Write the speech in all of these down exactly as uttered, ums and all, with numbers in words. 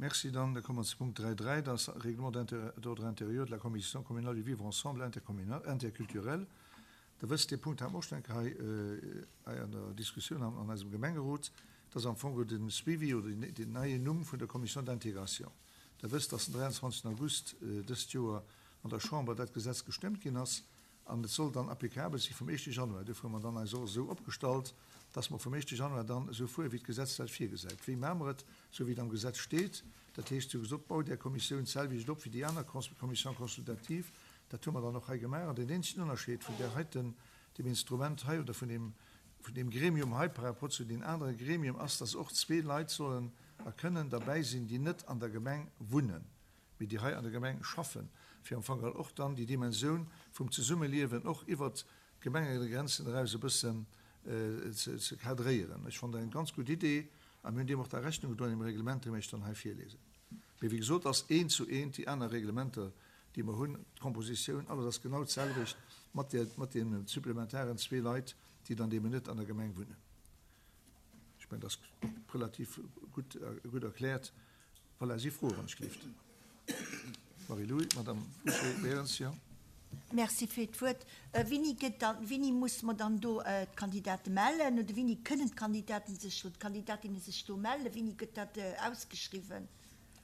Merci. Dann da komme mer zu Punkt dräi dräi, dat ass Règlement d'ordre intérieur de la Commission communale du vivre ensemble intercommunal, interculturel. Der wësst, dee Punkt hat mer och schonn eng Kéier hei an der Diskussioun an eisem Gemengerot. Dat ass am Fong de Suivi oder den neien Numm vun der Commission d'intégration. Der wësst, dass den dräianzwanzegsten August dëst Joer an der Chamber dat Gesetz gestëmmt ginn ass an et soll dann applicabel si vum éischte Januar. Duerfir hu mer dann eis och esou opgestallt, dass mer vum éischte Januar dann esou fuere wéi d'Gesetz dat virgesäit. Wéi maache mer et? Esou wéi et am Gesetz steet. Dat heescht, sou gesot, baut Är Kommissioun d'selwecht op wéi déi aner Commission consultative. Dat hu mer dann och hei gemaach. An deen eenzegen Ënnerscheed vun där heiten, deem Instrument hei oder vun deem, vun deem Gremium hei par rapport zu deenen anere Gremium ass, dass och zwee Leit sollen a kënnen derbäi sinn, déi net an der Gemeng wunnen, mee déi hei an der Gemeng schaffen, fir am Fong och dann déi Dimensioun vum Zesummeliewen och iwwert d'Gemengegrenzen eraus e bëssen ze cadréieren. Ech fannen dat eng ganz gutt Idee a mir hunn deem och da Rechnung gedroen am Reglement, dee mir Iech dann hei virlesen. Mee wéi gesot ass eent zu eent déi aner Reglementer, déi mer hunn, d'Kompositioun, alles ass genau d'selwecht mat där, mat deenen supplementaren zwee Leit, déi dann deemno net an der Gemeng wunnen. Ech mengen, dat ass relativ gutt, gutt erkläert. Voilà, si Froen, wann ech gelift. Marie-Louis, Madame Bouché-Berens, jo. Merci fir d'Wuert. Wéini gëtt dann, wéini musse mer dann do d'Kandidate mellen oder wéini kënnen d'Kandidaten sech oder d'Kandidatinne sech do mellen? Wéini gëtt dat ausgeschriwwen?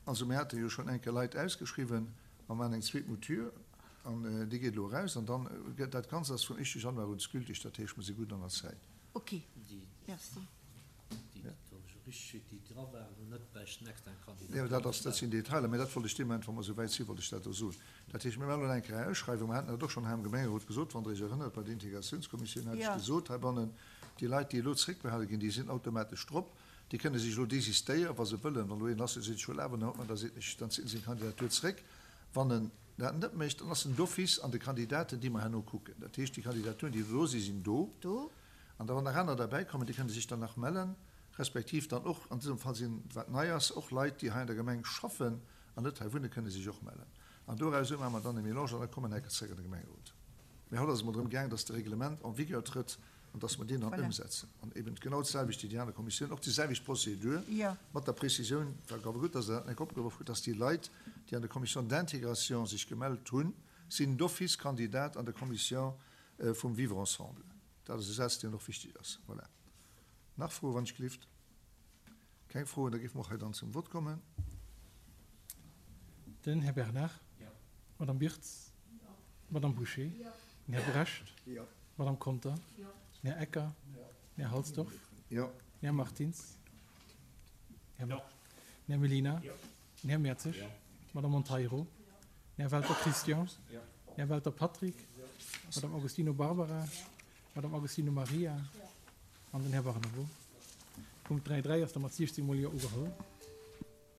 Also mir hate jo schonn eng Kéier Leit ausgeschriwwen. Mer maachen eng zweet Mouture an déi geet elo eraus an dann gëtt dat Ganzt ass vum éischte Januar un gültig. Dat heescht, mer si gutt an der Zäit. Ok, merci. Jo, dat ass, dat sinn Detailer, mä dat wollt ech dee Moment, wa mer esou wäit sinn, wollt ech dat do soen. Dat heescht, mir maachen elo eng Kéier eng Ausschreiwung. Mer haten dat och schonn hei am Gemengerot gesot, wann Der Iech erënnert, bei der Integratiounskommissioun hat ech gesot heibannen, déi Leit, déi elo zréckbehale ginn, déi sinn automatesch drop. Déi kënne sech elo désistéieren, wa se wëllen. Wann elo een ass, dee seet, ech wëll awer net, da seet ech, dann zitt en seng Kandidatur zréck. Wann en dat net mécht, dann ass en d'office an de Kandidaten, déi mer herno kucken. Dat heescht, déi Kandidaturen, déi elo do sinn, sinn do. An da wann nach aner derbäikommen, déi kënne sech dann nach mellen, respektiv dann och, an dësem Fall sinn, wat nei ass, och Leit, déi hei an der Gemeng schaffen an net hei wunnen, kënne sech och mellen. An doraus maache mer dann e Mélange an da kommen mer enker zréck an de Gemengerot. Mee haut ass et emol drëm gaang, dass de Reglement en vigueur trëtt an dass mer deen dann ëmsetzen. An eben genau d'selwecht wéi déi aner Kommissioun, och déi selwecht Procédure, mat der Précisioun, war awer gutt, dass Der dat eng Kéier opgeworf hutt, dass déi Leit, déi an der Commission d'intégration sech gemellt hunn, sinn d'office Kandidat an der Commission vum Vivre ensemble. Dat ass e Saz, deen och wichteg ass. Voilà. Nach Froen, wann ech gelift? Keng Froen, da géife mer och hei dann zum Vott kommen. Den Här Bernard. Jo. D'Madame Birtz. Jo. D'Madame Bouché. Jo. Den Här Brecht. Jo. D'Madame Conter. Jo. Den Här Ecker. Jo. Den Här Halsdorf. Jo. Den Här Martins. Jo. Den Här Mellina. Jo. Den Här Mertzig. Jo. D'Madame Monteiro. Jo. Den Här Welter Christian. Jo. Den Här Welter Patrick. Jo. D'Madame Agostino Barbara. Jo. D'Madame Agostino Maria. Jo. An den Här Barnabo. Punkt dräi dräi ass da mat siechzéng mol Jo ugeholl.